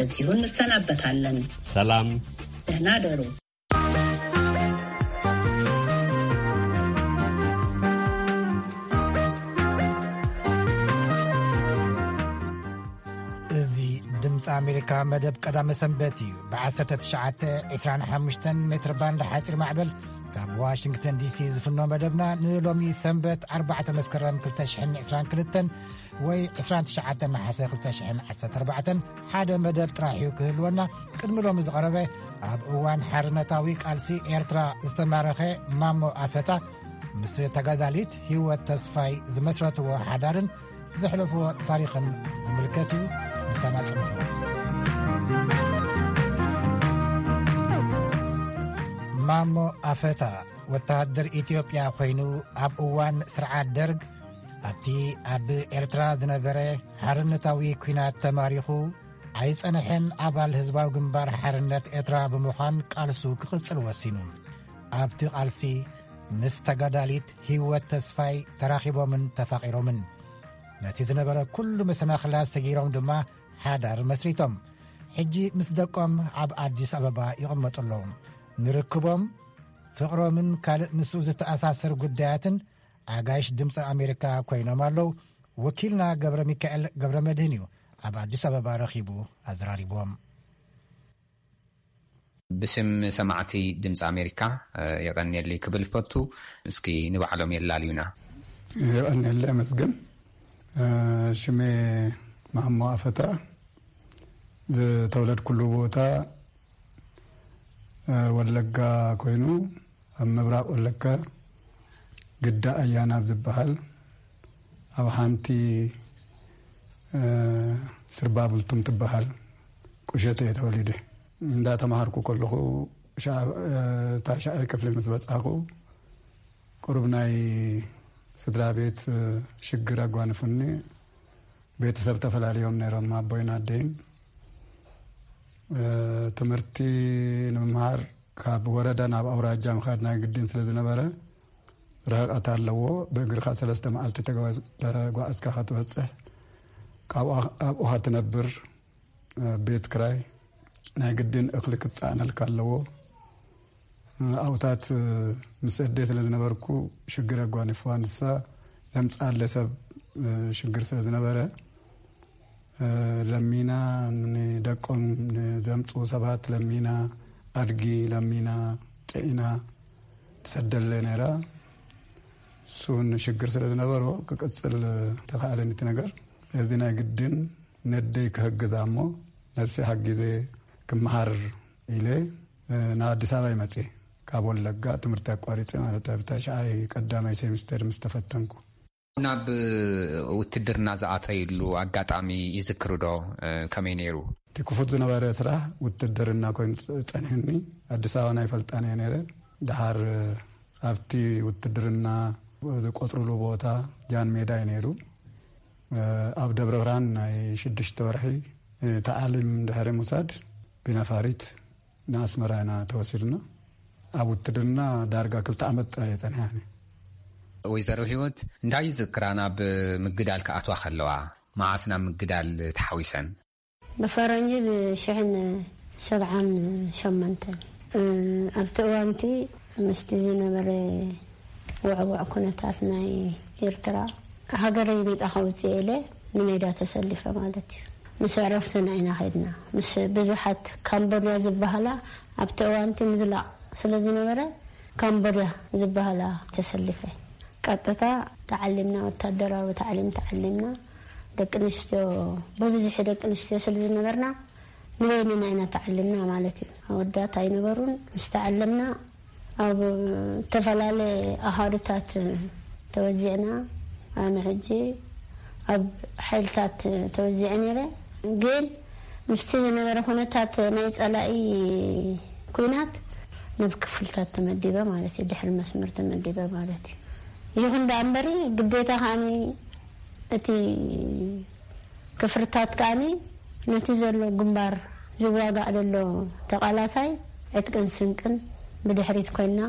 እዚሁ እንሰናበታለን። ሰላም። ደህና ደሩ። እዚ ድምፂ ኣሜሪካ መደብ ቀዳመ ሰንበት እዩ። ብ19፣ 25 ሜትር ባንድ ሓፂር ማዕበል ካብ ዋሽንግተን ዲሲ ዝፍኖ መደብና ንሎሚ ሰንበት ኣርባዕተ መስከረም ክልተ ሽሕን ዕስራን ክልተን ወይ ዕስራን ትሽዓተን ነሓሰ ክልተ ሽሕን ዓሰርተ ኣርባዕተን ሓደ መደብ ጥራሕ እዩ ክህልወና። ቅድሚ ሎሚ ዝቐረበ ኣብ እዋን ሓርነታዊ ቃልሲ ኤርትራ ዝተማረኸ ማሞ ኣፈታ ምስ ተጋዳሊት ህይወት ተስፋይ ዝመስረትዎ ሓዳርን ዘሕለፍዎ ታሪኽን ዝምልከት እዩ። ምሳና ጽንሑ። ማሞ ኣፈታ ወተሃደር ኢትዮጵያ ኮይኑ ኣብ እዋን ስርዓት ደርግ ኣብቲ ኣብ ኤርትራ ዝነበረ ሓርነታዊ ኲናት ተማሪኹ ኣይጸንሐን። ኣባል ህዝባዊ ግንባር ሓርነት ኤርትራ ብምዃን ቃልሱ ክቕጽል ወሲኑ። ኣብቲ ቃልሲ ምስ ተጋዳሊት ህይወት ተስፋይ ተራኺቦምን ተፋቒሮምን። ነቲ ዝነበረ ኩሉ መሰናኽላት ሰጊሮም ድማ ሓዳር መስሪቶም። ሕጂ ምስ ደቆም ኣብ ኣዲስ ኣበባ ይቕመጡ ኣለዉ። ንርክቦም፣ ፍቕሮምን ካልእ ምስኡ ዝተኣሳሰር ጉዳያትን ኣጋይሽ ድምፂ ኣሜሪካ ኮይኖም ኣለዉ። ወኪልና ገብረ ሚካኤል ገብረ መድህን እዩ ኣብ ኣዲስ ኣበባ ረኺቡ ኣዘራሪብዎም። ብስም ሰማዕቲ ድምፂ ኣሜሪካ፣ እ፣ የቐንየለይ ክብል ፈቱ። እስኪ ንባዕሎም የላልዩና። የቐንየለይ ኣመስግን። እ፣ ሽሜ ማሞ ኣፈታ፣ ዝተወለድኩሉ ቦታ፣ እ፣ ወለጋ ኮይኑ፣ ኣብ ምብራቕ ወለጋ ግዳ ኣያና ኣብ ዝበሃል ኣብ ሓንቲ፣ እ፣ ስርባ ብልቱም ትበሃል ቁሸት እየ ተወሊደ። እንዳተማሃርኩ ከለኹ ሻዕ-፣ እ፣ ታሽዓይ ክፍሊ ምስ በጻኹ ቁሩብ ናይ ስድራ ቤት፣ እ፣ ሽግር ኣጓንፉኒ። ቤተሰብ ተፈላለዮም ነይሮም፣ ኣቦይን ኣደይን። እ፣ ትምህርቲ ንምምሃር ካብ ወረዳ ናብ ኣውራጃ ምኻድ ናይ ግድን ስለ ዝነበረ፣ ርሕቀት ኣለዎ። ብእግርኻ ሰለስተ መዓልቲ ተጓዝ-፣ ተጓዕዝካ ክትበጽሕ፣ ካብኡ፣ ኣብኡ ትነብር። እ፣ ቤት ክራይ ናይ ግድን እኽሊ ክትጸዓነልካ ኣለዎ። እ፣ ኣብኡታት፣ እ፣ ምስ ኣደይ ስለ ዝነበርኩ ሽግር ኣጓኒፍዋ። ንሳ ዘምጽኣለ ሰብ፣ እ፣ ሽግር ስለ ዝነበረ፣ እ፣ ለሚና፣ ንደቆም ንዘምጽኡ ሰባት ለሚና፣ ኣድጊ ለሚና፣ ጽዒና ትሰደለ ነይራ። እሱ ንሽግር ስለ ዝነበሮ ክቅጽል ተኻእለኒ እቲ ነገር። ስለዚ ናይ ግድን ነደይ ክሕግዛ እሞ ነብሰይ ሓጊዘ ክመሃር ኢለ፣ እ፣ ናብ ኣዲስ ኣበባ ይመጽእ። ካብ ወለጋ ትምህርቲ ኣቋሪጸ ማለት ኣብ ታሽዓይ ቀዳማይ ሴሚስተር ምስ ተፈተንኩ። ናብ ውትድርና ዝኣተይሉ ኣጋጣሚ ይዝክሩ ዶ? እ፣ ከመይ ነይሩ? እቲ ክፉት ዝነበረ ስራሕ ውትድርና ኮይኑ ጸ-፣ ጸኒሕኒ። ኣዲስ ኣበባ ናይ ፈልጣን እየ ነይረ። ደሓር ኣብቲ ውትድርና ዝቆጽሩሉ ቦታ ጃን ሜዳ እዩ ነይሩ። ኣብ ደብረ ብርሃን ናይ ሽዱሽተ ወርሒ ተዓሊም ድሕሪ ምውሳድ ብነፋሪት ንኣስመራ ኢና ተወሲድና። ኣብ ውትድርና ዳርጋ ክልተ ዓመት ጥራይ እየ ጸኒሐ። ወይዘሮ ህይወት እንታይ ይዝክራ ናብ ምግዳል ክኣትዋ ከለዋ? መዓስ ናብ ምግዳል ተሓዊሰን? ብፈረንጂ ብሽሕን ሰብዓን ሸሞንተን። እ፣ ኣብቲ እዋንቲ ምስቲ ዝነበረ ውዕውዕ ኩነታት ናይ ኤርትራ፣ ሃገረይ ነጻ ከውጽእ ኢለ ንሜዳ ተሰሊፈ ማለት እዩ። ምስ ዕረፍትና ኢና ከድና። ምስ ብዙሓት ካምቦድያ ዝበሃላ ኣብቲ እዋንቲ ምዝላቕ ስለ ዝነበረ፣ ካምቦድያ ዝበሃላ ተሰሊፈ። ቀጥታ ተዓሊምና፣ ወታደራዊ ተዓሊም ተዓሊምና። ደቂ ኣንስትዮ፣ ብብዝሒ ደቂ ኣንስትዮ ስለ ዝነበርና፣ ንበይንና ኢና ተዓሊምና ማለት እዩ። ኣወዳት ኣይነበሩን። ምስ ተዓለምና፣ ኣብ ዝተፈላለየ ኣሃዱታት ተወዚዕና። ኣነ ሕጂ ኣብ ሓይልታት ተወዚዐ ነይረ። ግን ምስቲ ዝነበረ ኩነታት ናይ ጸላኢ ኲናት ናብ ክፍልታት ተመዲበ ማለት እዩ፣ ድሕሪ መስመር ተመዲበ ማለት እዩ። ይኹን ደኣ እምበሪ ግዴታ ከኣኒ እቲ ክፍልታት ከኣኒ ነቲ ዘሎ ግንባር ዝዋጋእ ዘሎ ተቓላሳይ ዕጥቅን ስንቅን ብድሕሪት ኮይና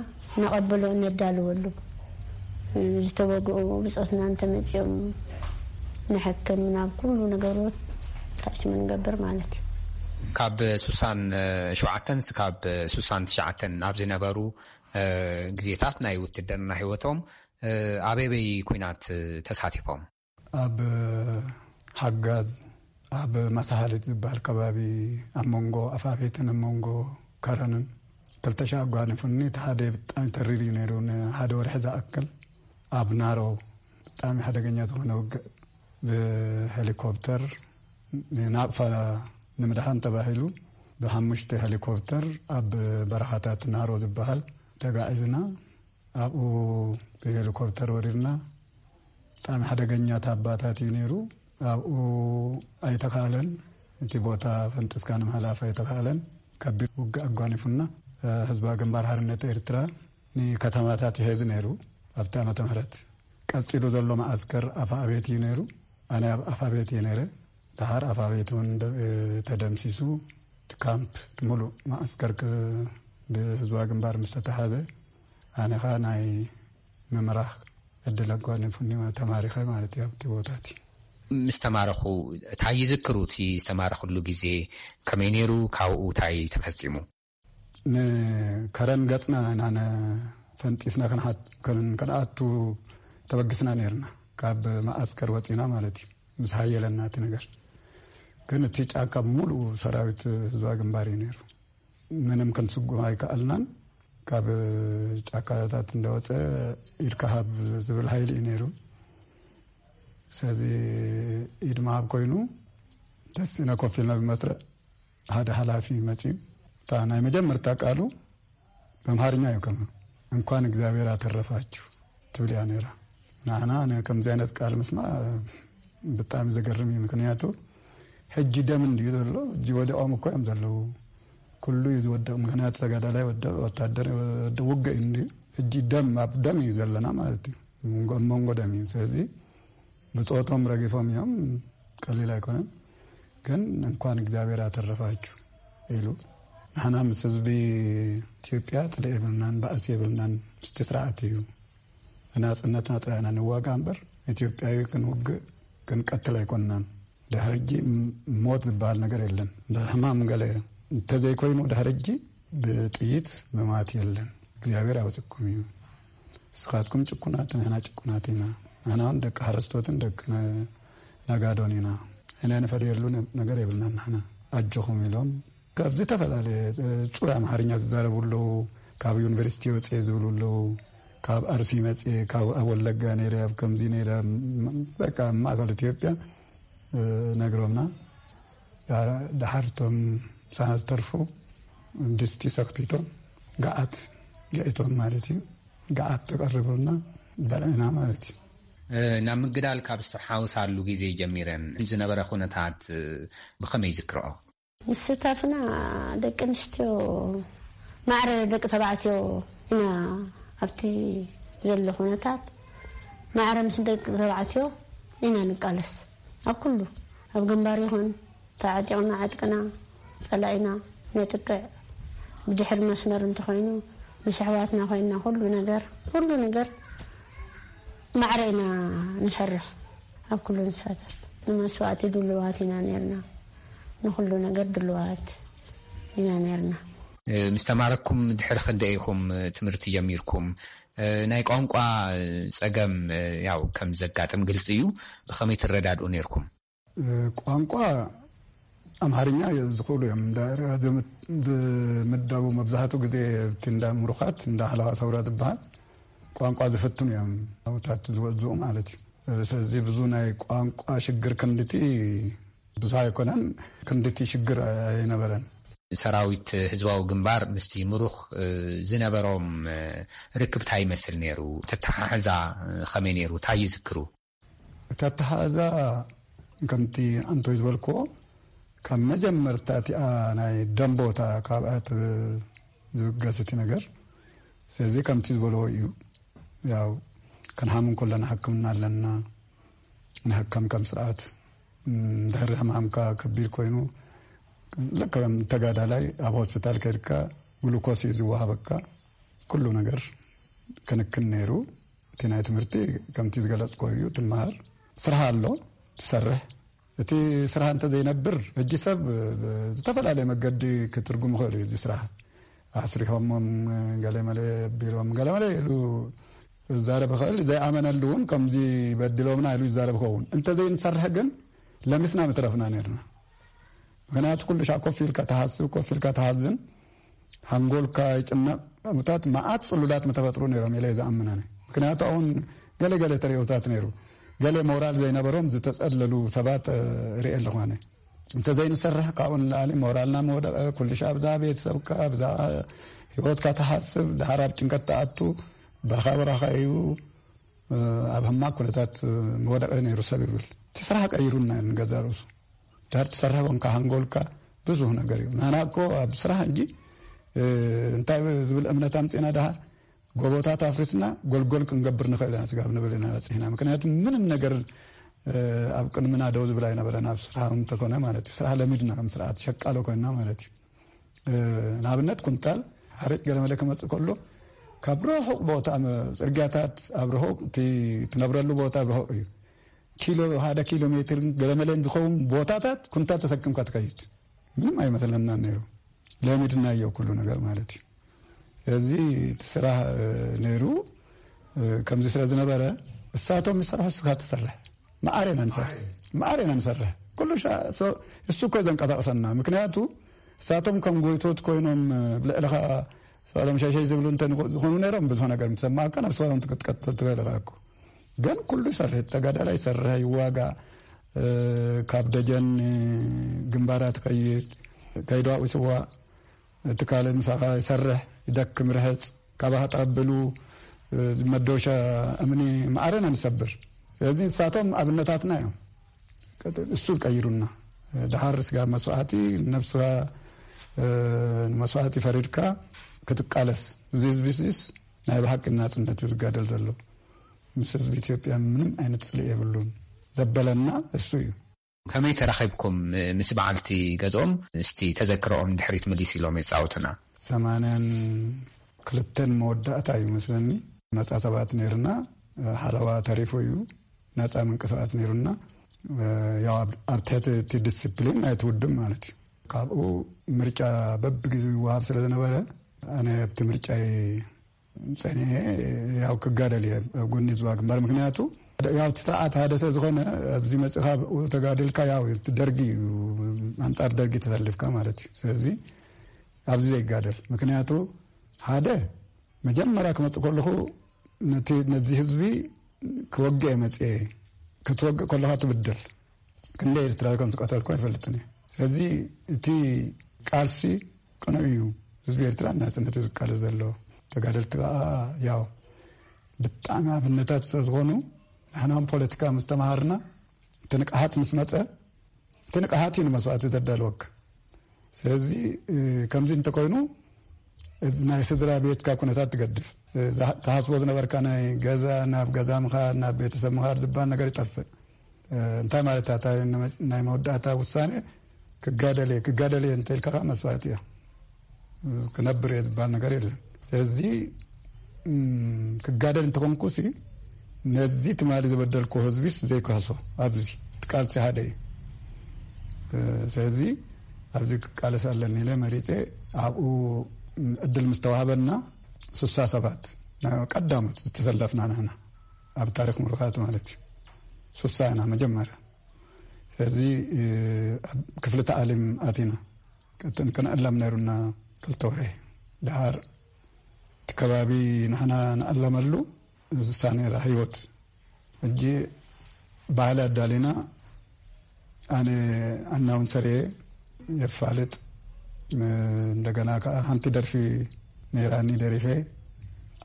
ነቐብሎ፣ ነዳልወሉ። ዝተወግኡ ብጾትና እንተመጺኦም ንሕክም፣ ናብ ኩሉ ነገሮት ታች ምንገብር ማለት እዩ። ካብ ሱሳን ሸውዓተን ካብ ሱሳን ትሽዓተን ኣብ ዝነበሩ ግዜታት ናይ ውትድርና ህይወቶም ኣበበይ ኩናት ተሳቲፎም? ኣብ ሓጋዝ፣ ኣብ ማሳሃሊት ዝበሃል ከባቢ፣ ኣብ መንጎ ኣፋቤትን ኣብ መንጎ ከረንን ክልተ ሻዕ ኣጓኒፉኒ። እቲ ሓደ ብጣዕሚ ተሪር እዩ ነይሩ። ንሓደ ወርሒ ዝኣክል ኣብ ናሮ ብጣዕሚ ሓደገኛ ዝኾነ ውግእ ብሄሊኮፕተር፣ ንናቕፋ ንምድሓን ተባሂሉ ብሓሙሽተ ሄሊኮፕተር ኣብ በረኻታት ናሮ ዝበሃል ተጋዒዝና። ኣብኡ ብሄሊኮፕተር ወሪድና። ብጣዕሚ ሓደገኛ ታባታት እዩ ነይሩ። ኣብኡ ኣይተኻእለን፣ እቲ ቦታ ፈንጢስካ ንምሕላፍ ኣይተኻእለን። ከቢድ ውግእ ኣጓኒፉና። ህዝባዊ ግንባር ሓርነት ኤርትራ ንከተማታት ይሕዝ ነይሩ ኣብቲ ዓመተ ምህረት። ቀጺሉ ዘሎ መዓስከር ኣፋ ኣቤት እዩ ነይሩ። ኣነ ኣብ ኣፋ ቤት እየ ነይረ። ደሓር ኣፋ ቤት እውን ደ-፣ ተደምሲሱ፣ እቲ ካምፕ፣ እቲ ሙሉእ መዓስከር ክ-፣ ብህዝባዊ ግንባር ምስ ተተሓዘ፣ ኣነ ኸኣ ናይ ምምራሕ ዕድል ኣጓኒፉኒ፣ ተማሪኸ ማለት እዩ ኣብቲ ቦታ እቲ። ምስ ተማረኹ፣ እንታይ ይዝክሩ? እቲ ዝተማረኽሉ ግዜ ከመይ ነይሩ? ካብኡ እንታይ ተፈጺሙ? ንከረን ገጽና ኢና ነ-፣ ፈንጢስና ክንሓት-፣ ክን-፣ ክንኣቱ ተበግስና ነይርና። ካብ መዓስከር ወጺና ማለት እዩ። ምስ ሃየለና እቲ ነገር። ግን እቲ ጫካ ብምሉኡ ሰራዊት ህዝባዊ ግንባር እዩ ነይሩ። ምንም ክንስጉም ኣይከኣልናን። ካብ ጫካታት እንደወጸ ኢድካ ሃብ ዝብል ሃይሊ እዩ ነይሩ። ስለዚ ኢድ ምሃብ ኮይኑ ተሲእና ኮፍ ኢልና ብመስርዕ ሓደ ሓላፊ መጺኡ፣ እታ ናይ መጀመርታ ቃሉ ብኣምሓርኛ እዩ ከማ፣ "እንኳን እግዚኣብሔር አተረፋችሁ" ትብል እያ ነይራ። ንዓና ነ-፣ ከምዚ ዓይነት ቃል ምስማዕ ብጣዕሚ ዘገርም እዩ። ምክንያቱ ሕጂ ደም እንድዩ ዘሎ፣ ሕጂ ወዲቖም እኮ እዮም ዘለዉ። ኩሉ እዩ ዝወድቕ፣ ምክንያቱ ተጋዳላይ ወድቕ፣ ወታደር ወድቕ፣ ውግእ እዩ እንድዩ። ሕጂ ደም ኣብ ደም እዩ ዘለና ማለት እዩ። መንጎ፣ ኣብ መንጎ ደም እዩ። ስለዚ ብጾቶም ረጊፎም እዮም፣ ቀሊል ኣይኮነን። ግን "እንኳን እግዚኣብሔር አተረፋችሁ" ኢሉ። ንሕና ምስ ህዝቢ ኢትዮጵያ ጽልኢ የብልናን፣ ባእሲ የብልናን። ምስቲ ስርዓት እዩ። ንናጽነትና ጥራይ ኢና ንዋጋእ እምበር፣ ኢትዮጵያዊ ክንውግእ ክንቀትል ኣይኮንናን። ድሕሪ ሕጂ ም-፣ ሞት ዝበሃል ነገር የለን። እንደ ሕማም ገለ እንተዘይኮይኑ ድሕሪ ሕጂ ብጥይት ምማት የለን። እግዚኣብሔር ኣውፅኩም እዩ። ንስኻትኩም ጭኩናት፣ ንሕና ጭኩናት ኢና። ንሕና እውን ደቂ ሓረስቶትን ደቂ ነ-፣ ነጋዶን ኢና። ሕነ ንፈደየሉ ነ-፣ ነገር የብልናን ንሕና። ኣጆኹም ኢሎም ካብ ዝተፈላለየ፣ እ፣ ጽሩይ ኣምሓርኛ ዝዛረቡ ኣለዉ። ካብ ዩኒቨርሲቲ ወጽኤ ዝብሉ ኣለዉ። ካብ ኣርሲ መጽኤ፣ ካብ ኣብ ወለጋ ነይረ፣ ኣብ ከምዚ ነይረ፣ ም-፣ በቃ ኣብ ማእከል ኢትዮጵያ፣ እ፣ ነግሮምና። ዳ-፣ ደሓር እቶም ምሳና ዝተርፉ ድስቲ ሰኽቲቶም፣ ገዓት ገዒቶም ማለት እዩ። ገዓት ተቐርቡልና፣ በልዕና ማለት እዩ። እ፣ ናብ ምግዳል ካብ ዝተሓወሳሉ ግዜ ጀሚረን ዝነበረ ኩነታት፣ እ፣ ብኸመይ ይዝክርኦ? ምስታፍና ደቂ ኣንስትዮ ማዕረ ደቂ ተባዕትዮ ኢና። ኣብቲ ዘሎ ኩነታት ማዕረ ምስ ደቂ ተባዕትዮ ኢና ንቃለስ። ኣብ ኩሉ፣ ኣብ ግንባር ይኹን፣ ተዓጢቕና ዕጥቅና፣ ጸላኢና ነጥቅዕ፣ ብድሕሪ መስመር እንተኾይኑ፣ ምስ ኣሕዋትና ኮይንና ኩሉ ነገር፣ ኩሉ ነገር ማዕረ ኢና ንሰርሕ። ኣብ ኩሉ ንሳተፍ። ንመስዋእቲ ድሉዋት ኢና ነርና። ንኹሉ ነገር ድሉዋት ኢና ነርና። እ፣ ምስ ተማረኩም ድሕሪ ክንደይ ኢኹም፣ እ፣ ትምህርቲ ጀሚርኩም? እ፣ ናይ ቋንቋ፣ እ፣ ጸገም፣ እ፣ ያው ከም ዘጋጥም ግልጺ እዩ። ብኸመይ ትረዳድኡ ነርኩም? እ፣ ቋንቋ ኣምሓርኛ ዝኽእሉ እዮም። እንዳ ዝም-፣ ዝምደቡ መብዛሕትኡ ግዜ እቲ እንዳ ምሩኻት፣ እንዳ ሓለዋ ሰውራ ዝበሃል ቋንቋ ዝፍትኑ እዮም፣ ኣብታት ዝወዝኡ ማለት እዩ። እ፣ ስለዚ ብዙ ናይ ቋንቋ ሽግር ክንድቲ ብዙ ኣይኮነን፣ ክንድቲ ሽግር ኣይነበረን። ሰራዊት ህዝባዊ ግንባር ምስቲ ምሩኽ፣ እ፣ ዝነበሮም፣ እ፣ ርክብ እንታይ ይመስል ነይሩ? ተተሓሕዛ፣ እ፣ ከመይ ነይሩ? እንታይ ይዝክሩ? እቲ ኣተሓሕዛ ከምቲ ኣንቶይ ዝበልክዎ፣ ካብ መጀመርታ እቲኣ ናይ ደም ቦታ ካብኣ ትብ-፣ ዝብገስ እቲ ነገር። ስለዚ ከምቲ ዝበልዎ እዩ። ያው ክንሓም እንከለና ሕክምና ኣለና። ንሕከም ከም ስርዓት፣ እም፣ ድሕሪ ሕማምካ ከቢድ ኮይኑ፣ ልክዕ ከም ተጋዳላይ ኣብ ሆስፒታል ከይድካ ግሉኮስ እዩ ዝወሃበካ። ኩሉ ነገር ክንክን ነይሩ። እቲ ናይ ትምህርቲ ከምቲ ዝገለጽኮ እዩ፣ ትመሃር። ስራሕ ኣሎ፣ ትሰርሕ። እቲ ስራሕ እንተዘይነብር፣ ሕጂ ሰብ ብዝተፈላለየ መገዲ ክትርጉም ይኽእል እዩ። እዚ ስራሕ ኣስሪሖሞም፣ ገለመለ ኣቢሎም፣ ገለመለ ኢሉ ዝዛረብ ይኽእል። ዘይኣመነሉ እውን ከምዚ በዲሎምና ኢሉ ይዛረብ ይኸውን። እንተዘይንሰርሕ ግን ለሚስና ምትረፍና ነርና። ምክንያቱ ኩሉ ሻዕ ኮፍ ኢልካ ትሓስብ፣ ኮፍ ኢልካ ትሓዝን፣ ሓንጎልካ ይጭነቕ። ከምኡታት መዓት ጽሉላት ምተፈጥሩ ነይሮም ኢለ ዝኣምን ኣነ። ምክንያቱ ኣሁን ገለ ገለ ተርእዮታት ነይሩ። ገለ ሞራል ዘይነበሮም ዝተጸለሉ ሰባት ርኢ ኣለኹ ኣነ። እንተዘይንሰርሕ ካብኡ ንላዕሊ ሞራልና ምወደቐ። ኩሉ ሻዕ ብዛዕባ ቤተሰብካ፣ ብዛዕባ ህይወትካ ትሓስብ፣ ድሓር ኣብ ጭንቀት ትኣቱ። በረኻ በረኻ እዩ። ኣብ ሕማቕ ኩነታት ምወደቐ ነይሩ ሰብ ይብል። እቲ ስራሕ ቀይሩና ንገዛ ርእሱ። ድሓር ትሰርሕ ኮንካ ሓንጎልካ ብዙሕ ነገር እዩ። ናና እኮ ኣብ ስራሕ እንጂ እንታይ ዝብል እምነት ኣምጺእና ድሓር ጎቦታት ኣፍሪስና ጎልጎል ክንገብር ንኽእል ኢና ስጋብ ንብል ኢና በጺሕና። ምክንያቱ ምንም ነገር ኣብ ቅድምና ደው ዝብል ኣይነበረን። ኣብ ስራሕ እንተኮነ ማለት እዩ። ስራሕ ለሚድና ከም ስርዓት ሸቃሎ ኮይንና ማለት እዩ። ንኣብነት ኩንታል ሓርጭ ገለመለ ክመጽእ ከሎ ካብ ርሑቕ ቦታ፣ ጽርግያታት ኣብ ርሑቕ፣ እቲ ትነብረሉ ቦታ ኣብ ርሑቕ እዩ። ኪሎ፣ ሓደ ኪሎ ሜትር ገለመለን ዝኸውን ቦታታት ኩንታል ተሰክምካ ትከይድ። ምንም ኣይመስለናን ነይሩ። ለሚድናዮ ኩሉ ነገር ማለት እዩ። እዚ እቲ ስራሕ ነይሩ። ከምዚ ስለ ዝነበረ እሳቶም ይሰርሑ፣ እስኻ ትሰርሕ። መዓር ኢና ንሰርሕ። መዓር ኢና ንሰርሕ። ኩሉ ሻ-፣ ሶ-፣ እሱ እኮ ዘንቀሳቕሰና። ምክንያቱ እሳቶም ከም ጎይቶት ኮይኖም ብልዕልኻ ሰሎም ሸሸይ ዝብሉ እንተ ዝኾኑ ነይሮም ብዙሕ ነገር ምትሰማዕካ ናብ ስራኦም ክትቀጥል ትኽእል ኢኻ እኮ። ግን ኩሉ ይሰርሕ፣ ተጋዳላይ ይሰርሕ፣ ይዋጋእ፣ ካብ ደጀን ግንባራት ከይድ፣ ከይዱ ኣብኡ ይስዋእ፣ እቲ ካልእ ምሳኻ ይሰርሕ፣ ይደክም፣ ይርሕጽ፣ ካባኻ ጠብሉ፣ መዶሻ እምኒ መዓረና ንሰብር። ስለዚ ንሳቶም ኣብነታትና እዮም። እሱ ቀይሩና። ድሓር ስጋ መስዋዕቲ፣ ነብስኻ ንመስዋዕቲ ፈሪድካ ክትቃለስ። እዚ ህዝቢ ሲስ ናይ ብሓቂ ናጽነት እዩ ዝጋደል ዘሎ። ምስ ህዝቢ ኢትዮጵያ ምንም ዓይነት ጽልኢ የብሉን ዘበለና እሱ እዩ። ከመይ ተራኺብኩም ምስ በዓልቲ ገዝኦም? እስቲ ተዘክሮኦም ድሕሪት ምልስ ኢሎም የጻውቱና። ሰማንያን ክልተን መወዳእታ እዩ መስለኒ። ነጻ ሰባት ነይርና፣ ሓለዋ ተሪፉ እዩ። ነጻ ምንቅስቃስ ነይሩና። ያው ኣብ፣ ኣብ ትሕቲ እቲ ዲስፕሊን ናይቲ ውድብ ማለት እዩ። ካብኡ ምርጫ በብግዜኡ ይወሃብ ስለ ዝነበረ፣ ኣነ ኣብቲ ምርጫ ጸኒሐ ያው ክጋደል እየ ኣብ ጎኒ ህዝባዊ ግንባር። ምክንያቱ ያው እቲ ስርዓት ሓደ ስለ ዝኾነ ኣብዚ መጽኻ ብኡ ተጋድልካ ያው እቲ ደርጊ እዩ፣ ኣንጻር ደርጊ ተሰልፍካ ማለት እዩ። ስለዚ ኣብዚ ዘይጋደል። ምክንያቱ ሓደ መጀመርያ ክመጽእ ከለኹ ነቲ፣ ነዚ ህዝቢ ክወግእ እየ መጽኤ። ክትወግእ ከለኻ ትብደል። ክንደይ ኤርትራዊ ከም ዝቀተልኩ ኣይፈልጥን እየ። ስለዚ እቲ ቃልሲ ቅኑዕ እዩ። ህዝቢ ኤርትራ ናጽነቱ ዝቃለስ ዘሎ። ተጋደልቲ ከኣ ያው ብጣዕሚ ኣብነታት ስለ ዝኾኑ፣ ንሕና እውን ፖለቲካ ምስ ተማሃርና፣ እቲ ንቅሓት ምስ መጸ፣ እቲ ንቅሓት እዩ ንመስዋእቲ ዘዳልወካ። ስለዚ፣ እ፣ ከምዚ እንተኮይኑ፣ እዚ ናይ ስድራ ቤትካ ኩነታት ትገድፍ። እ፣ ዝሃ-፣ ትሃስቦ ዝነበርካ ናይ ገዛ፣ ናብ ገዛ ምኻድ፣ ናብ ቤተሰብ ምኻድ ዝበሃል ነገር ይጠፍእ። እ፣ እንታይ ማለት እያ? እታ ናይ መ-፣ ናይ መወዳእታ ውሳኔ ክጋደል እየ፣ ክጋደል እየ እንተ ኢልካ ከዓ መስዋእቲ እያ። እ፣ ክነብር እየ ዝበሃል ነገር የለን። ስለዚ፣ እም፣ ክጋደል እንተኾንኩሲ፣ ነዚ ትማሊ ዝበደልኩ ህዝቢስ ዘይክሕሶ፣ ኣብዚ እቲ ቃልሲ ሓደ እዩ። እ፣ ስለዚ ኣብዚ ክቃለስ ኣለኒ ኢለ መሪጸ፣ ኣብኡ ዕድል ምስ ተዋህበና፣ ሱሳ ሰባት ቀዳሞት ዝተሰለፍና ንሕና፣ ኣብ ታሪኽ ምሩኻት ማለት እዩ። ሱሳ ኢና መጀመርያ። ስለዚ፣ እ፣ ኣብ ክፍሊ ተዓሊም ኣቲና። ከተ-፣ ክንዕለም ነይሩና ክልተ ወርሒ። ደሓር እቲ ከባቢ ንሕና ንዕለመሉ ዝሳ ነይራ ህይወት። ሕጂ ባህሊ ኣዳሊና፣ ኣነ ኣናውንሰር እየ፣ የፋልጥ። ም-፣ እንደገና ከኣ ሓንቲ ደርፊ ነይራኒ ደሪፈ።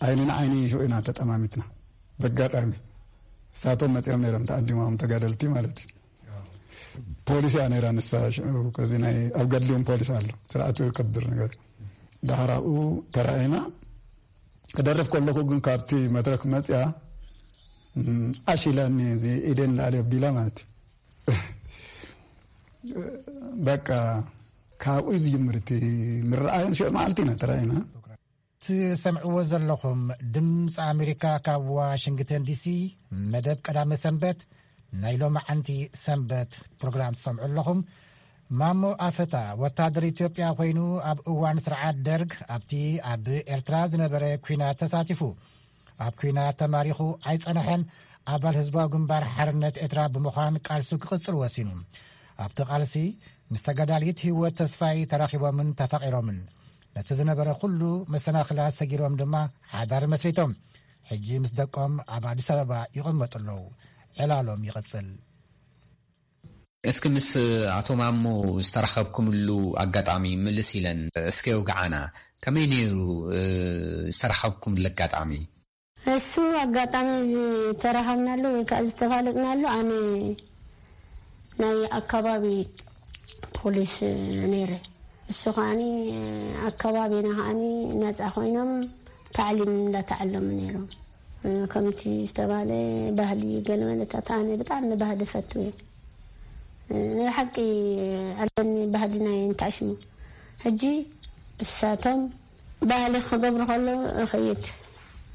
ዓይኒ ንዓይኒ ሽዑ ኢና ተጠማሚትና። በጋጣሚ እሳቶም መጺኦም ነይሮም፣ ተዓዲሞም ተጋደልቲ ማለት እዩ። ፖሊስ እያ ነይራ ንሳ። ሽዑ ከዚ ናይ ኣብ ገድሊ እውን ፖሊስ ኣሎ፣ ስርዓት ከብር ነገር። ደሓር ኣብኡ ተራእና። ክደርፍ ከለኹ ግን ካብቲ መድረክ መጽያ፣ ም፣ ዓሽ ኢላኒ፣ እዚ ኢደን ላዕሊ ኣቢላ ማለት እዩ። በቃ ካብኡ እዩ ዝጅምር እቲ ምርኣዮም። ሽዑ መዓልቲ ኢና ተራእና። ትሰምዕዎ ዘለኹም ድምፂ ኣሜሪካ ካብ ዋሽንግተን ዲሲ፣ መደብ ቀዳመ ሰንበት፣ ናይ ሎማዓንቲ ሰንበት ፕሮግራም ትሰምዑ ኣለኹም። ማሞ ኣፈታ ወታደር ኢትዮጵያ ኮይኑ ኣብ እዋን ስርዓት ደርግ ኣብቲ ኣብ ኤርትራ ዝነበረ ኲናት ተሳቲፉ። ኣብ ኲናት ተማሪኹ ኣይጸንሐን። ኣባል ህዝባዊ ግንባር ሓርነት ኤርትራ ብምዃን ቃልሱ ክቕጽል ወሲኑ። ኣብቲ ቃልሲ ምስ ተጋዳሊት ህይወት ተስፋይ ተራኺቦምን ተፋቒሮምን። ነቲ ዝነበረ ኩሉ መሰናኽላት ሰጊሮም ድማ ሓዳር መስሪቶም። ሕጂ ምስ ደቆም ኣብ ኣዲስ ኣበባ ይቕመጡ ኣለዉ። ዕላሎም ይቕጽል። እስኪ ምስ ኣቶ ማሞ ዝተራኸብኩምሉ ኣጋጣሚ ምልስ ኢለን እስኪ የውግዓና። ከመይ ነይሩ፣ እ፣ ዝተራኸብኩምሉ ኣጋጣሚ? እሱ ኣጋጣሚ ዝተራኸብናሉ ወይ ከዓ ዝተፋለጥናሉ፣ ኣነ ናይ ኣካባቢ ፖሊስ ነይረ። እሱ ከዓኒ ኣካባቢና ከዓኒ ነፃ ኮይኖም ታዕሊም እንዳተዓለሙ ነይሮም። ከምቲ ዝተባለ ባህሊ ገለ መለታት ኣነ ብጣዕሚ ባህሊ ፈቱ እየ። ናይ ሓቂ ኣለኒ ባህሊ ናይ እንታሽሙ። ሕጂ እሳቶም ባህሊ ክገብሩ ከሎ እኸይድ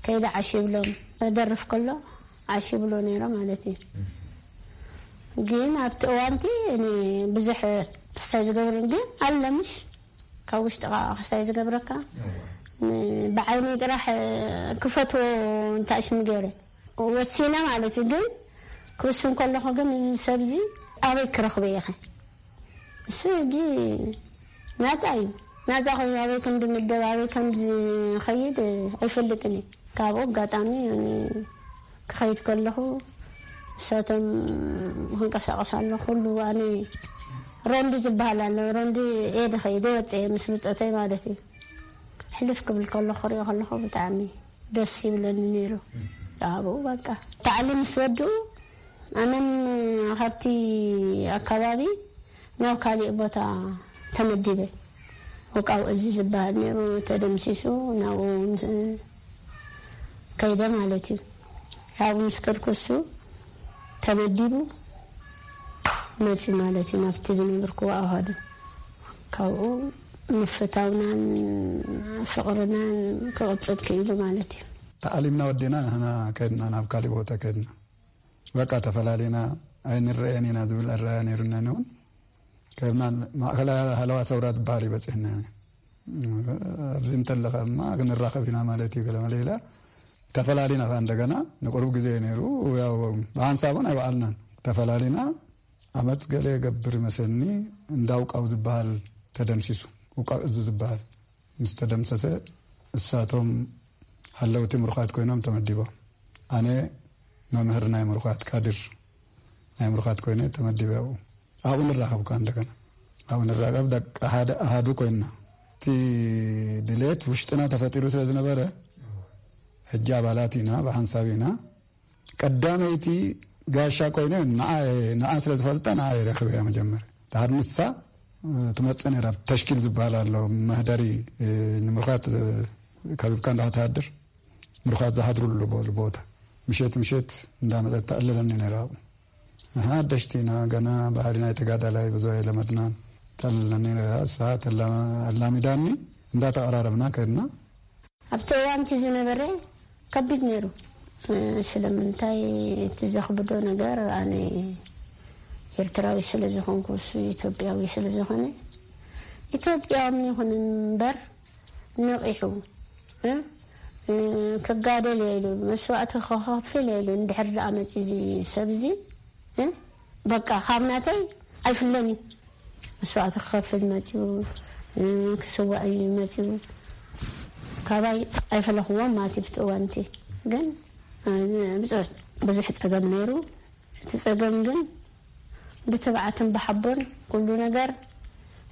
ከይደ ዓሽ ይብሎም። ደርፍ ከሎ ዓሽ ይብሎ ነይሮ ማለት እዩ። ግን ኣብቲ እዋንቲ እኔ ብዙሕ ክስታይ ዝገብርን ግን ኣለምሽ ካብ ውሽጥኻ ክስታይ ዝገብረካ። ብዓይኒ ጥራሕ ክፈትዎ እንታሽሙ ገይረ ወሲነ ማለት እዩ። ግን ክውስን ከለኹ ግን እዚ ሰብዚ ኣበይ ክረኽቦ እየ ኸ? እሱ ሕጂ ናጻ እዩ። ናጻ ኮይኑ ኣበይ ከም ዝምደብ ኣበይ ከም ዝኸይድ ኣይፈልጥን እዩ። ካብኡ ኣጋጣሚ እኔ ክኸይድ ከለኹ እሳቶም ክንቀሳቐስ ኣሎ ኩሉ ኣነ ሮንዲ ዝበሃል ኣሎ። ሮንዲ እየ ዝኸይድ፣ ወፀ ምስ ብፀተይ ማለት እዩ። ሕልፍ ክብል ከሎ ክሪኦ ከለኹ ብጣዕሚ ደስ ይብለኒ ነይሩ። ኣብኡ በቃ ታዕሊም ምስ ወድኡ ኣነም ካብቲ ኣካባቢ ናብ ካሊእ ቦታ ተመዲበ። ወቃው እዚ ዝበሃል ነይሩ ተደምሲሱ ናብኡ ከይደ ማለት እዩ። ኣብኡ ምስ ከድኩ እሱ ተመዲቡ መፂ ማለት እዩ ናብቲ ዝነበርኩዎ ኣሃዱ። ካብኡ ምፍታውናን ፍቕርናን ክቕፅል ክኢሉ ማለት እዩ። ተኣሊምና ወዲና ንሕና ከድና ናብ ካሊእ ቦታ ከድና። በቃ ተፈላሊና ኣይንረአን ኢና ዝብል ኣረኣያ ነይሩና። ንውን ከድና ማእኸላይ ሃለዋ ሰውራ ዝበሃል እዩ በፂሕና። ኣብዚ እንተለኻ እማ ክንራኸብ ኢና ማለት እዩ ገለ መለ ኢላ ተፈላሊና ከ እንደገና ንቁሩብ ግዜ ነይሩ። ያው ብሓንሳቡን ኣይበዓልናን ተፈላሊና። ዓመት ገለ የገብር ይመስለኒ እንዳውቃው ዝበሃል ተደምሲሱ። ውቃው እዙ ዝበሃል ምስ ተደምሰሰ እሳቶም ሃለውቲ ምሩኻት ኮይኖም ተመዲቦም። ኣነ መምህር ናይ ምሩኻት ካድር ናይ ምሩኻት ኮይነ ተመዲበ ኣብኡ። ኣብኡ ንራኸብ ከ እንደገና ኣብኡ ንራኸብ ደቂ ሓደ ኣሃዱ ኮይንና። እቲ ድሌት ውሽጥና ተፈጢሩ ስለ ዝነበረ ሕጂ ኣባላት ኢና ብሓንሳብ ኢና። ቀዳመይቲ ጋሻ ኮይነ ንዓ ንዓ ስለ ዝፈልጣ ንዓ የረክበያ መጀመርያ። ድሓር ንሳ ትመጽእ ነይራ። ተሽኪል ዝበሃል ኣሎ መህደሪ ንምሩኻት ከቢብካ እንዳትሃድር ምሩኻት ዝሃድሩሉ ቦ- ቦታ ምሸት ምሸት እንዳመጸት ተዕልለኒ ነይራ። ኣብኡ ንሕና ሓደሽቲ ኢና ገና ባህሊ ናይ ተጋዳላይ ብዙ ኣይለመድናን። ተዕልለኒ ነይራ። እሳ ተላ- ኣላሚዳኒ እንዳተቐራረብና ከድና። ኣብቲ እዋንቲ ዝነበረ ከቢድ ነይሩ። ስለምንታይ እቲ ዘኽብዶ ነገር ኣነ ኤርትራዊ ስለ ዝኾንኩ እሱ ኢትዮጵያዊ ስለ ዝኾነ ኢትዮጵያዊ ይኹን እምበር ነቒሑ እ፣ እ፣ ክጋደል እየ ኢሉ መስዋእቲ ክኸፍል እየ ኢሉ እንድሕር ደኣ መፂ እዚ ሰብ እዚ እ፣ በቃ ካብ ናተይ ኣይፍለን እዩ። መስዋእቲ ክኸፍል መፂኡ እ፣ ክስዋእ እዩ መፂኡ። ካባይ ኣይፈለኽዎም ማለት እዩ ብቲ እዋንቲ ግን እ፣ ብዙሕ ብዙሕ ፀገም ነይሩ። እቲ ጸገም ግን ብትብዓትን ብሓቦን ኩሉ ነገር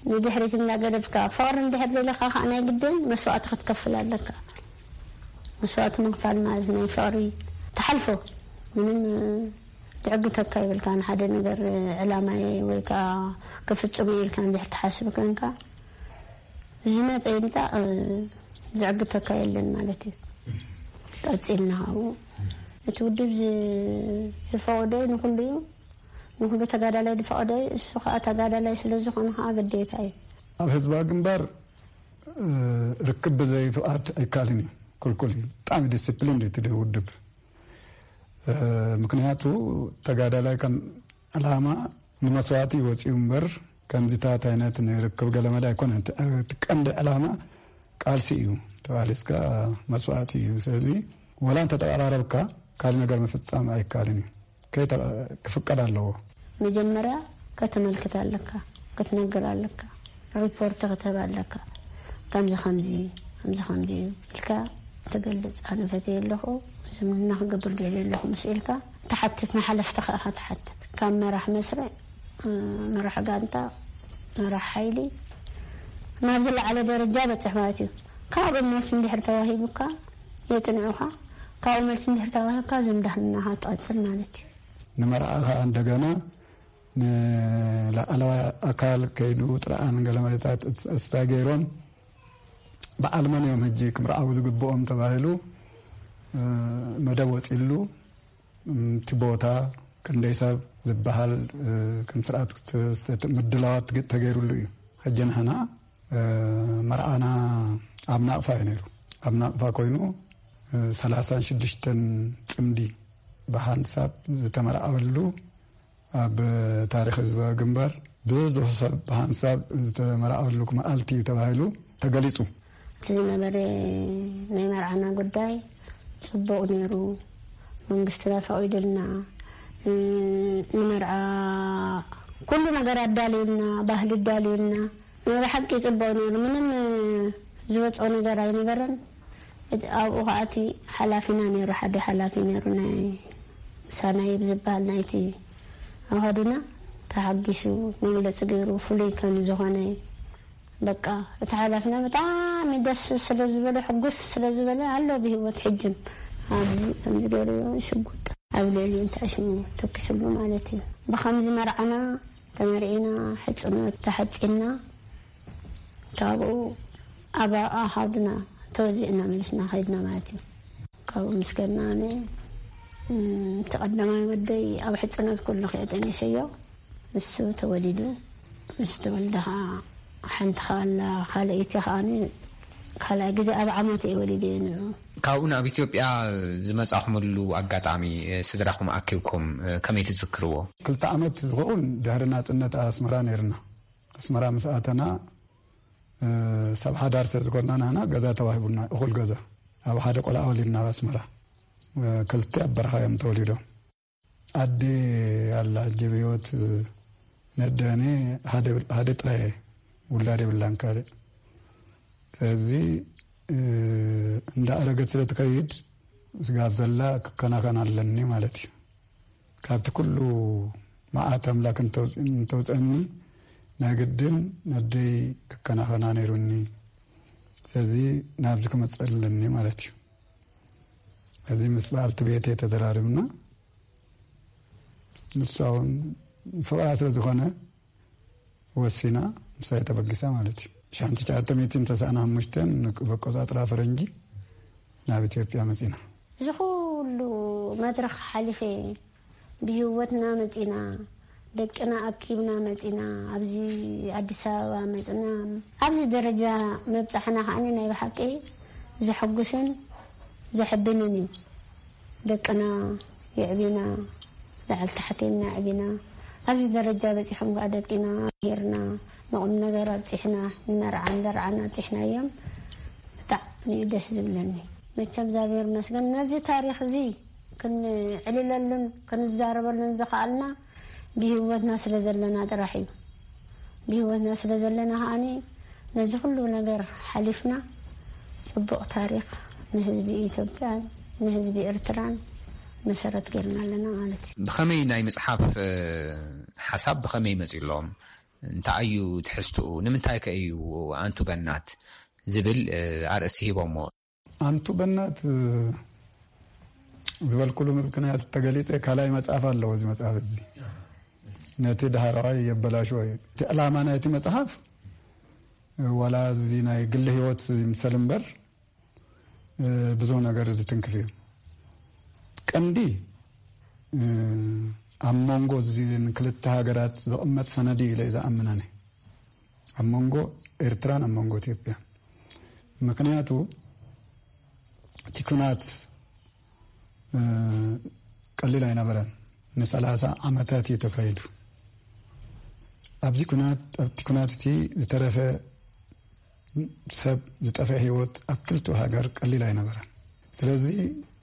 ንድሕሪት እናገደፍካ ፍቕሪ እንድሕር ዘለካ ከዓ ናይ ግድን መስዋእቲ ክትከፍል ኣለካ። መስዋእቲ ምክፋል ማለት ናይ ፍቕሪ ትሓልፎ ምንም ዝዕግተካ ይብልካ። ንሓደ ነገር ዕላማየ ወይ ከዓ ክፍጽሞ ኢልካ እንድሕር ትሓስብ ኮንካ ዝመፀ ይምፃእ ዝዕግተካ የለን ማለት እዩ። ቀፂልና ካብኡ እቲ ውድብ ዝ- ዝፈቐዶ ንኹሉ እዩ። ንኹሉ ተጋዳላይ ዝፈቐዶ እዩ። እሱ ከዓ ተጋዳላይ ስለ ዝኾነ ከዓ ግዴታ እዩ። ኣብ ህዝባዊ ግንባር እ፣ ርክብ ብዘይ ፍቓድ ኣይከኣልን እዩ። ክልኩል እዩ። ብጣዕሚ ዲስፕሊን እዩ እቲ ውድብ። ምክንያቱ ተጋዳላይ ከም ዕላማ ንመስዋእቲ ይወፅኡ እምበር ከምዚታት ዓይነት ንርክብ ገለመዳ ኣይኮነን። እቲ ቀንዲ ዕላማ ቃልሲ እዩ። ተባሊስካ መስዋእቲ እዩ። ስለዚ ወላ እንተተቀራረብካ ካልእ ነገር ምፍፃም ኣይካልን እዩ። ክፍቀድ ኣለዎ። መጀመርያ ከተመልክት ኣለካ፣ ክትነግር ኣለካ፣ ሪፖርት ክትህብ ኣለካ። ከምዚ ከምዚ ከምዚ ከምዚ እዩ ኢልካ ትገልጽ። ኣነ ፈትየ ኣለኹ፣ ዝምድና ክገብር ደልየ ኣለኹ ምስ ኢልካ ትሓትት፣ ንሓለፍቲ ከዓ ትሓትት። ካብ መራሕ መስርዕ፣ መራሕ ጋንታ፣ መራሕ ሓይሊ ናብ ዝለዓለ ደረጃ በጽሕ ማለት እዩ። ካብኡ መልሲ እንድሕር ተዋሂቡካ የጽንዑኻ። ካብኡ መልሲ እንድሕር ተዋሂብካ ዝምድናኻ ትቐጽል ማለት እዩ። ንመርዓ ከዓ እንደገና ንላዕለዋይ ኣካል ከይዱ ጥርዓን ገለ መለታት እስታ ገይሮም በዓል መን እዮም ሕጂ ክምርዓው ዝግብኦም ተባሂሉ መደብ ወፂሉ እቲ ቦታ ክንደይ ሰብ ዝበሃል ከም ስርዓት ምድላዋት ተገይሩሉ እዩ። ሕጂ ንሕና መርዓና ኣብ ናቕፋ እዩ ነይሩ። ኣብ ናቕፋ ኮይኑ ሰላሳን ሽዱሽተን ፅምዲ ብሓንሳብ ዝተመርዓወሉ ኣብ ታሪክ ህዝባዊ ግንባር ብዙሕ ሰብ ብሓንሳብ ዝተመርዓወሉ መዓልቲ እዩ ተባሂሉ ተገሊፁ። እቲ ዝነበረ ናይ መርዓና ጉዳይ ፅቡቕ ነይሩ። መንግስትና ፈቒዱልና ንመርዓ ኩሉ ነገር ኣዳልዩልና፣ ባህሊ ኣዳልዩልና። ናይ ብሓቂ ፅቡቕ ነይሩ። ምንም ዝወፅኦ ነገር ኣይነበረን። ኣብኡ ከዓ እቲ ሓላፊና ነይሩ፣ ሓደ ሓላፊ ነይሩ፣ ናይ ሳናይብ ዝበሃል ናይቲ ኣሃዱና ተሓጊሱ መግለፂ ገይሩ ፍሉይ ከም ዝኾነ በቃ እቲ ሓላፊና ብጣዕሚ ደስ ስለ ዝበለ ሕጉስ ስለ ዝበለ ኣሎ ብህይወት ሕጅን ኣብዚ ከምዚ ገይሩ ሽጉጥ ኣብ ልዕሊ እንታይ ሽሙ ተኪስሉ ማለት እዩ። ብከምዚ መርዓና ተመርዒና ሕፅኖት ተሓፂና ካብኡ ኣብ ኣሃዱና ተወዚዕና መሊስና ከይድና ማለት እዩ። ካብኡ ምስ ከድና ኣነ እቲ ቀዳማይ ወደይ ኣብ ሕፅኖት ኩሉ ክእጠኒሰዮ ንሱ ተወሊዱ። ምስ ተወልደ ከዓ ሓንቲ ከዓ ኣላ ካልኣይቲ ከዓ ካልኣይ ግዜ ኣብ ዓመት እየ ወሊደ ንዑ። ካብኡ ናብ ኢትዮጵያ ዝመጻኹምሉ ኣጋጣሚ ስድራኹም ኣኪብኩም ከመይ ትዝክርዎ? ክልተ ዓመት ዝኸውን ድሕሪ ናጽነት ኣስመራ ነይርና። ኣስመራ ምስ ኣተና ሰብ ሓዳር ስለ ዝኾንና ንሕና ገዛ ተዋሂቡና፣ እኹል ገዛ ኣብ ሓደ ቆልዓ ወሊድና ኣብ ኣስመራ። ክልተ ኣብ በረኻ እዮም ተወሊዶም። ኣደ ኣላ ሕጂ ብህይወት ነደኔ ሓደ ጥራይ ውላድ የብላን ካልእ። ስለዚ እንዳኣረገት ስለ ትከይድ ስጋብ ዘላ ክከናኸን ኣለኒ ማለት እዩ። ካብቲ ኩሉ መዓት ኣምላክ እንተውፅእኒ ናይ ግድን ነደይ ክከናኸና ነይሩኒ። ስለዚ ናብዚ ክመፅእ ኣለኒ ማለት እዩ። እዚ ምስ በዓልቲ ቤተይ ተዘራሪብና ንሳ እውን ፍቕራ ስለ ዝኾነ ወሲና ምሳይ ተበጊሳ ማለት እዩ። ሻንቲ ቻተ ሚትን ተሳእና ሓሙሽተን በቆፃፅራ ፈረንጂ ናብ ኢትዮጵያ መፂና። እዚ ኩሉ መድረኽ ሓሊፈ ብህይወትና መፂና ደቅና ኣኪብና መፂና ኣብዚ ኣዲስ ኣበባ መፅና ኣብዚ ደረጃ መብፃሕና ከዓኒ ናይ ብሓቂ ዘሐጉስን ዘሕብንን እዩ። ደቅና የዕቢና ላዕሊ ታሕቲ ኢልና ኣዕቢና ኣብዚ ደረጃ በፂሖም ከዓ ደቂና ሄርና ንቁም ነገር ኣብፂሕና ንመርዓን ደርዓን ኣብፂሕናዮም ብጣዕሚ እዩ ደስ ዝብለኒ። መቸም እግዚኣብሔር ይመስገን ነዚ ታሪክ እዚ ክንዕልለሉን ክንዛረበሉን ዝኸኣልና ብህይወትና ስለ ዘለና ጥራሕ እዩ። ብህይወትና ስለ ዘለና ከዓኒ ነዚ ኩሉ ነገር ሓሊፍና ፅቡቕ ታሪክ ንህዝቢ ኢትዮጵያን ንህዝቢ ኤርትራን መሰረት ገይርና ኣለና ማለት እዩ። ብኸመይ ናይ ምፅሓፍ ሓሳብ ብኸመይ መፂሎም? እንታይ እዩ ትሕዝትኡ? ንምንታይ ከ እዩ ኣንቱ በናት ዝብል ኣርእስቲ ሂቦሞ? ኣንቱ በናት ዝበልኩሉ ምክንያት ተገሊፀ ካልኣይ መፅሓፍ ኣለዎ። እዚ መፅሓፍ እዚ ነቲ ዳህራዋይ የበላሽዎ እዩ። እቲ ዕላማ ናይቲ መፅሓፍ ዋላ እዚ ናይ ግሊ ህይወት ይምሰል እምበር ብዙ ነገር ዝትንክፍ እዩ። ቀንዲ ኣብ መንጎ እዚን ክልተ ሃገራት ዝቕመጥ ሰነድ እዩ ኢለ ዝኣምን ኣነ። ኣብ መንጎ ኤርትራን ኣብ መንጎ ኢትዮጵያ። ምክንያቱ እቲ ኩናት ቀሊል ኣይነበረን። ንሰላሳ ዓመታት እዩ ተካይዱ። ኣብዚ ኩናት ኣብቲ ኩናት እቲ ዝተረፈ ሰብ ዝጠፈ ህይወት ኣብ ክልቲኡ ሃገር ቀሊል ኣይነበረን። ስለዚ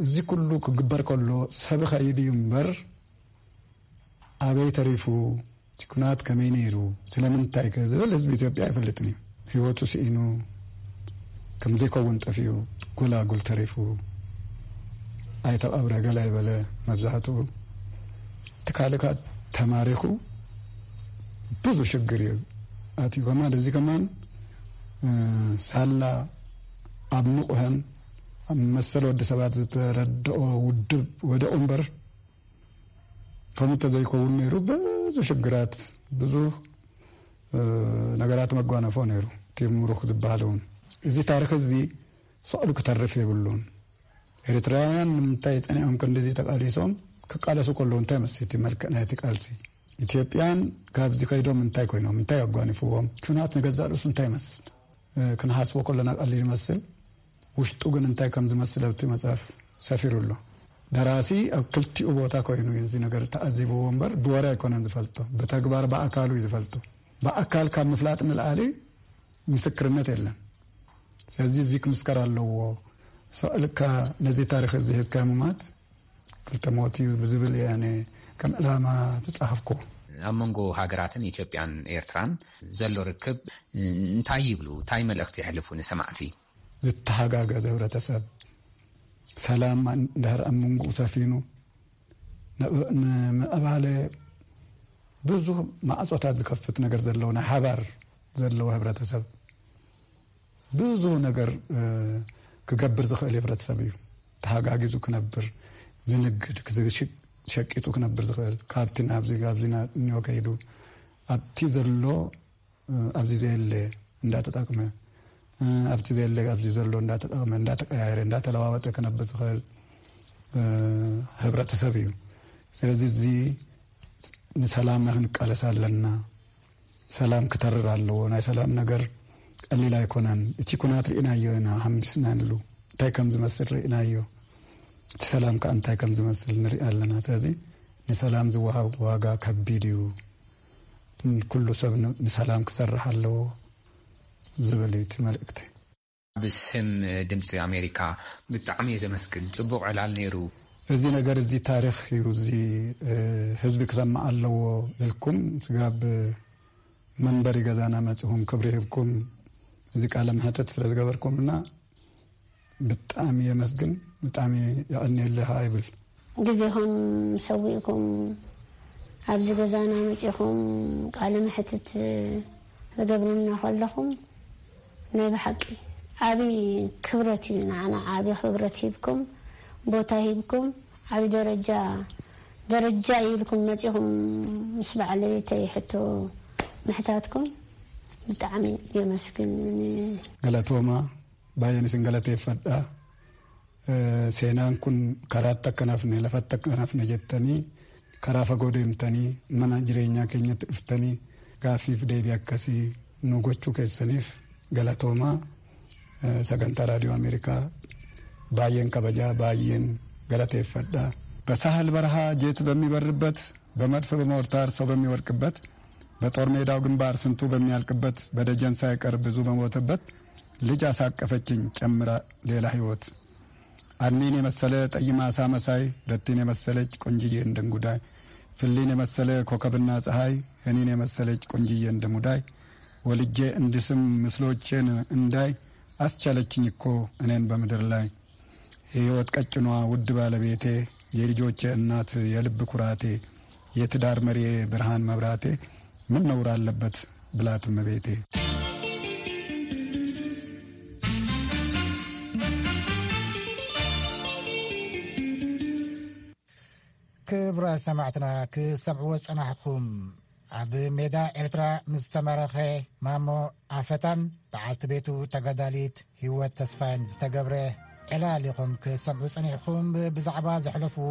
እዚ ኩሉ ክግበር ከሎ ሰብ ኸይድ እዩ እምበር ኣበይ ተሪፉ እቲ ኩናት ከመይ ነይሩ ስለምንታይ ከ ዝብል ህዝቢ ኢትዮጵያ ኣይፈልጥን እዩ። ህይወቱ ስኢኑ ከም ዘይከውን ጠፊኡ ጎላጉል ተሪፉ ኣይተቐብረ ገለ ኣይበለ። መብዛሕትኡ ትካልካ ተማሪኹ ብዙ ሽግር እዩ ኣትዩ። ከማን እዚ ከማን ሳላ ኣብ ንቑሀን ኣብ መሰል ወዲ ሰባት ዝተረድኦ ውድብ ወደቑ እምበር ከምኡ ተዘይከውን ነይሩ ብዙ ሽግራት ብዙ ነገራት መጓነፎ ነይሩ። እቲ ምሩኽ ዝበሃል እውን እዚ ታሪክ እዚ ስቕሉ ክተርፍ የብሉን። ኤርትራውያን ንምንታይ ጸኒዖም ክንድዚ ተቃሊሶም ክቃለሱ ከለዉ እንታይ መስል እቲ መልክዕ ናይቲ ቃልሲ? ኢትዮጵያን ካብዚ ከይዶም እንታይ ኮይኖም እንታይ ኣጓኒፍዎም? ኩናት ንገዛእ ርእሱ እንታይ ይመስል? ክንሓስቦ ከለና ቀሊል ይመስል። ውሽጡ ግን እንታይ ከም ዝመስል ኣብቲ መጽሓፍ ሰፊሩ ኣሎ። ደራሲ ኣብ ክልቲኡ ቦታ ኮይኑ እዩ እዚ ነገር ተኣዚብዎ እምበር ብወረ ኣይኮነን ዝፈልጦ፣ ብተግባር ብኣካሉ እዩ ዝፈልጦ። ብኣካል ካብ ምፍላጥ ንልኣሊ ምስክርነት የለን። ስለዚ እዚ ክምስከር ኣለዎ። ሰቕልካ ነዚ ታሪክ እዚ ሒዝካ ምማት ክልተ ሞት እዩ ብዝብል እየ ኣነ ከም ዕላማ ዝጸሓፍኩ። ኣብ መንጎ ሃገራትን ኢትዮጵያን ኤርትራን ዘሎ ርክብ እንታይ ይብሉ? እንታይ መልእኽቲ የሕልፉ ንሰማዕቲ? ዝተሓጋገዘ ህብረተሰብ፣ ሰላም እንድሕር ኣብ መንጎኡ ሰፊኑ፣ ንምዕባለ ብዙ ማዕጾታት ዝከፍት ነገር ዘለዎ፣ ናይ ሓባር ዘለዎ ህብረተሰብ፣ ብዙ ነገር ክገብር ዝኽእል ህብረተሰብ እዩ። ተሓጋጊዙ ክነብር፣ ዝንግድ፣ ሸቂጡ ክነብር ዝኽእል፣ ካብቲ ናብዚ ካብዚ እኒኦ ከይዱ ኣብቲ ዘሎ ኣብዚ ዘየለ እንዳተጠቅመ፣ ኣብቲ ዘየለ ኣብዚ ዘሎ እንዳተጠቅመ፣ እንዳተቀያየረ፣ እንዳተለዋወጠ ክነብር ዝኽእል ህብረተሰብ እዩ። ስለዚ እዚ ንሰላምና ክንቃለስ ኣለና። ሰላም ክተርር ኣለዎ። ናይ ሰላም ነገር ቀሊል ኣይኮነን። እቲ ኩናት ርኢናዮ ኢና፣ ሓምቢስናሉ እንታይ ከም ዝመስል ርኢናዮ። እቲ ሰላም ከኣ እንታይ ከም ዝመስል ንርኢ ኣለና። ስለዚ ንሰላም ዝወሃብ ዋጋ ከቢድ እዩ። ኩሉ ሰብ ን-፣ ንሰላም ክሰርሕ ኣለዎ ዝብል እዩ እቲ መልእክቲ። ብስም ድምፂ ኣሜሪካ ብጣዕሚ እየ ዘመስግን። ፅቡቕ ዕላል ነይሩ። እዚ ነገር እዚ ታሪኽ እዩ። እዚ ህዝቢ ክሰምዕ ኣለዎ ኢልኩም ስጋብ መንበሪ ገዛና መፅኹም ክብሪ ሂብኩም እዚ ቃለ መሕተት ስለ ዝገበርኩምና ብጣዕሚ የመስግን፣ ብጣዕሚ የቐንየልኻ ይብል። ግዜኹም ሰዊእኩም ኣብዚ ገዛና መጺኹም ቃለ መሕትት ትገብሩልና ከለኹም ናይ ብሓቂ ዓቢ ክብረት እዩ፣ ንዓና ዓቢ ክብረት ሂብኩም፣ ቦታ ሂብኩም፣ ዓቢ ደረጃ፣ ደረጃ ኢልኩም መጺኹም ምስ በዓለቤተይ ሕቶ ምሕታትኩም ብጣዕሚ የመስግን። ገለቶማ ባየን ስንገለቴ ፈዳ፣ እ፣ ሴናን ኩን ከራተ ከናፍነ ለፈተ ከናፍነ ጀተኒ ከራ ፈጎ ደምተኒ መና ጅሬኛ ኬኛ ትድፍተኒ ጋፊፍ ደቢ ኣከሲ ኑጎቹ ኬሰኒፍ ገለቶማ። እ፣ ሰገንታ ራዲዮ ኣሜሪካ ባየን ከበጃ ባየን ገለቴ ፈዳ። በሳህል በረሃ ጄት በሚበርበት፣ በመድፍ በሞርታር ሰው በሚወድቅበት፣ በጦር ሜዳው ግንባር ስንቱ በሚያልቅበት፣ በደጀን ሳይቀር ብዙ በሞተበት፣ ልጅ አሳቀፈችኝ ጨምራ ሌላ ህይወት። አድኒን የመሰለ ጠይም አሳ መሳይ፣ ረቲን የመሰለች ቆንጅዬ እንደ እንጉዳይ፣ ፍሊን የመሰለ ኮከብና ፀሐይ፣ እኔን የመሰለች ቆንጅዬ እንደ ሙዳይ፣ ወልጄ እንድስም ምስሎቼን እንዳይ አስቻለችኝ እኮ እኔን በምድር ላይ። የህይወት ቀጭኗ ውድ ባለቤቴ፣ የልጆቼ እናት፣ የልብ ኩራቴ፣ የትዳር መሪዬ ብርሃን መብራቴ ምን ነውር አለበት ብላት እመቤቴ። ክቡራት ሰማዕትና ክሰምዕዎ ጸናሕኩም፣ ኣብ ሜዳ ኤርትራ ምስ ተማረኸ ማሞ ኣፈታን በዓልቲ ቤቱ ተጋዳሊት ህይወት ተስፋይን ዝተገብረ ዕላል ኢኹም ክትሰምዑ ጸኒሕኩም። ብዛዕባ ዘሕለፍዎ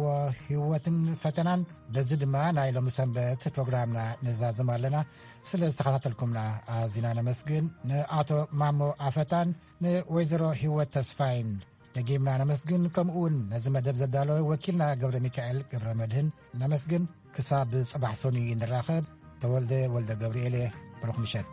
ህይወትን ፈተናን በዚ ድማ ናይ ሎሚ ሰንበት ፕሮግራምና ንዛዝም ኣለና። ስለ ዝተኸታተልኩምና ኣዚና ነመስግን። ንኣቶ ማሞ ኣፈታን ንወይዘሮ ህይወት ተስፋይን ደጊምና ነመስግን። ከምኡ እውን ነዚ መደብ ዘዳለወ ወኪልና ገብረ ሚካኤል ገብረ መድህን ነመስግን። ክሳብ ጽባሕ ሰኑይ ንራኸብ። ተወልደ ወልደ ገብርኤል እየ። ብሩኽ ምሸት።